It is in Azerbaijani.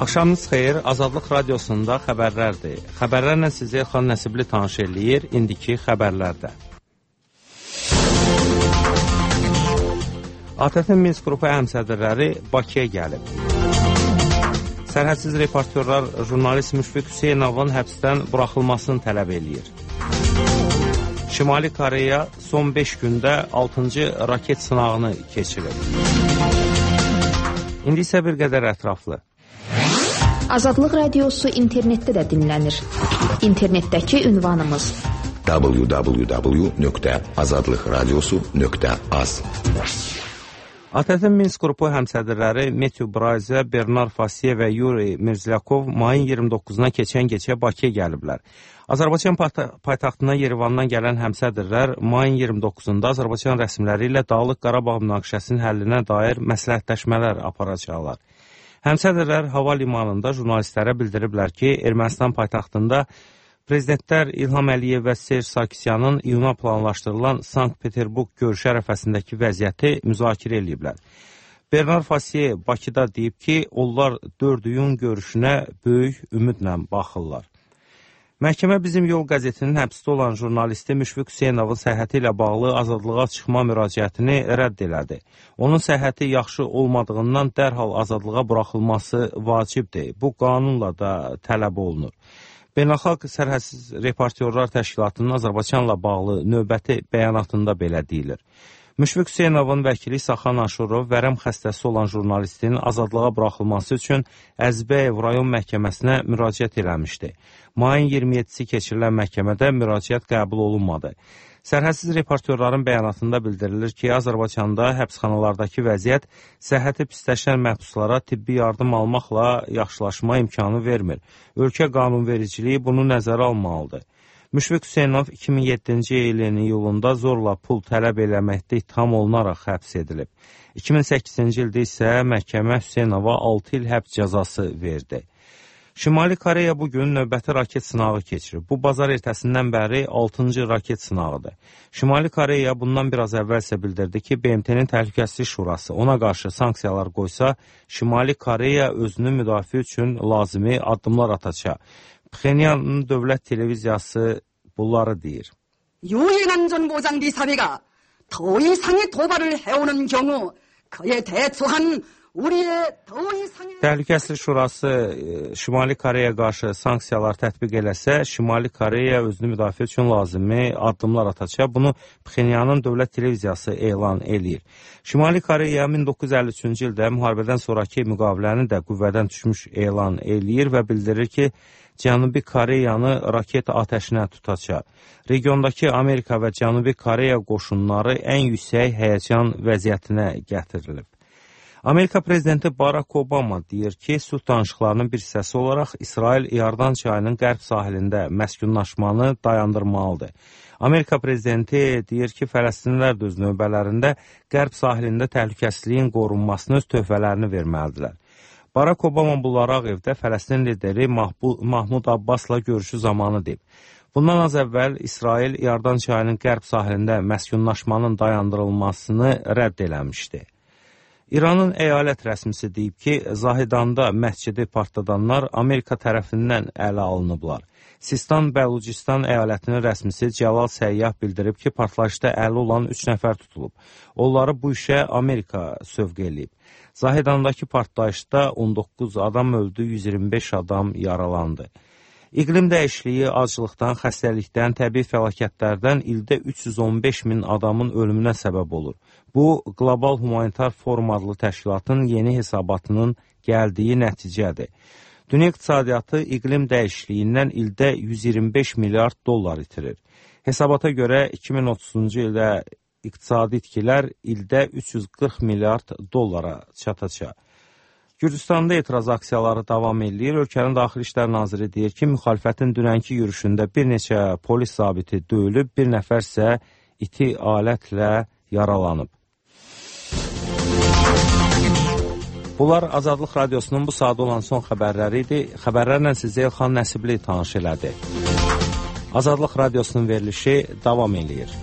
Axşamınız xeyir, Azadlıq Radiosunda xəbərlərdir. Xəbərlərlə sizi Elxan Nəsibli tanış eləyir, indiki xəbərlərdə. ATƏT-in Minsk qrupu həmsədrləri Bakıya gəlib. Sərhədsiz reportyorlar jurnalist Müşfiq Hüseynovun həbsdən buraxılmasını tələb eləyir. Şimali Koreya son 5 gündə 6-cı raket sınağını keçirir. İndi isə bir qədər ətraflı. Azadlıq Radiosu internetdə də dinlənir. İnternetdəki ünvanımız www.azadlıqradiosu.az. ATƏT-in Minsk qrupu həmsədrləri Metyu Brayze, Bernard Fasiye və Yuri Mirzlyakov mayın 29-na keçən gecə Bakıya gəliblər. Azərbaycan paytaxtına Yerevandan gələn həmsədrlər mayın 29-da Azərbaycan rəsmiləri ilə Dağlıq Qarabağ münaqişəsinin həllinə dair məsləhətləşmələr aparacaqlar. Həmsədrlər hava limanında jurnalistlərə bildiriblər ki, Ermənistan paytaxtında prezidentlər İlham Əliyev və Serj Sarkisyanın iyuna planlaşdırılan Sankt-Peterburq görüşü ərəfəsindəki vəziyyəti müzakirə ediblər. Bernard Fasiye Bakıda deyib ki, onlar 4 iyun görüşünə böyük ümidlə baxırlar. Məhkəmə Bizim Yol qəzetinin həbsdə olan jurnalisti Müşfiq Hüseynovun səhhəti ilə bağlı azadlığa çıxma müraciətini rədd elədi. Onun səhhəti yaxşı olmadığından dərhal azadlığa buraxılması vacibdir. Bu qanunla da tələb olunur. Beynəlxalq Sərhədsiz Reportyorlar Təşkilatının Azərbaycanla bağlı növbəti bəyanatında belə deyilir. Müşfiq Hüseynovun vəkili Saxan Aşurov vərəm xəstəsi olan jurnalistin azadlığa buraxılması üçün Əzbəyev rayon məhkəməsinə müraciət eləmişdi. Mayın 27-si keçirilən məhkəmədə müraciət qəbul olunmadı. Sərhədsiz reportyorların bəyanatında bildirilir ki, Azərbaycanda həbsxanalardakı vəziyyət səhhəti pisləşən məhbuslara tibbi yardım almaqla yaxşılaşma imkanı vermir. Ölkə qanunvericiliyi bunu nəzərə almalıdır. Müşfiq Hüseynov 2007-ci ilin iyulunda zorla pul tələb eləməkdə ittiham olunaraq həbs edilib. 2008-ci ildə isə məhkəmə Hüseynova 6 il həbs cəzası verdi. Şimali Koreya bugün növbəti raket sınağı keçirib. Bu bazar ertəsindən bəri 6-cı raket sınağıdır. Şimali Koreya bundan biraz əvvəl isə bildirdi ki, BMT-nin Təhlükəsizlik Şurası ona qarşı sanksiyalar qoysa, Şimali Koreya özünü müdafiə üçün lazımi addımlar atacaq. Pxenyanın dövlət televiziyası bunları deyir. 유엔안전보장비사회가 더 이상의 도발을 해오는 경우 그에 대처한 Təhlükəsizlik Şurası Şimali Koreyaya qarşı sanksiyalar tətbiq eləsə, Şimali Koreya özünü müdafiə üçün lazımi addımlar atacaq. Bunu Pxenyanın dövlət televiziyası elan eləyir. Şimali Koreya 1953-cü ildə müharibədən sonraki müqaviləni də qüvvədən düşmüş elan eləyir və bildirir ki, Cənubi Koreyanı raket atəşinə tutacaq. Regiondakı Amerika və Cənubi Koreya qoşunları ən yüksək həyəcan vəziyyətinə gətirilib. Amerika prezidenti Barack Obama deyir ki, sülh danışıqlarının bir hissəsi olaraq İsrail İordan çayının qərb sahilində məskunlaşmanı dayandırmalıdır. Amerika prezidenti deyir ki, Fələstinlilər də öz növbələrində qərb sahilində təhlükəsizliyin qorunmasını öz töhfələrini verməlidirlər. Barack Obama bunları Ağ Evdə Fələstin lideri Mahmud Abbasla görüşü zamanı deyib. Bundan az əvvəl İsrail İordan çayının qərb sahilində məskunlaşmanın dayandırılmasını rədd eləmişdi. İranın əyalət rəsmisi deyib ki, Zahidanda məscidi partladanlar Amerika tərəfindən ələ alınıblar. Sistan Bəlucistan əyalətinin rəsmisi Cəlal Səyyah bildirib ki, partlayışda əli olan 3 nəfər tutulub. Onları bu işə Amerika sövq eləyib. Zahidandakı partlayışda 19 adam öldü, 125 adam yaralandı. İqlim dəyişikliyi, aclıqdan, xəstəlikdən, təbii fəlakətlərdən ildə 315 min adamın ölümünə səbəb olur. Bu, Qlobal Humanitar Forum adlı təşkilatın yeni hesabatının gəldiyi nəticədir. Dünya iqtisadiyyatı iqlim dəyişikliyindən ildə 125 milyard dollar itirir. Hesabata görə 2030-cu ildə iqtisadi itkilər ildə 340 milyard dollara çatacaq. Gürcüstanda etiraz aksiyaları davam edir. Ölkənin Daxili İşlər Naziri deyir ki, müxalifətin dünənki yürüşündə bir neçə polis zabiti döyülüb, bir nəfər isə iti alətlə yaralanıb. Bunlar Azadlıq Radiosunun bu saat olan son xəbərləri idi. Xəbərlərlə sizi Elxan Nəsibli tanış elədi. Azadlıq Radiosunun verilişi davam edir.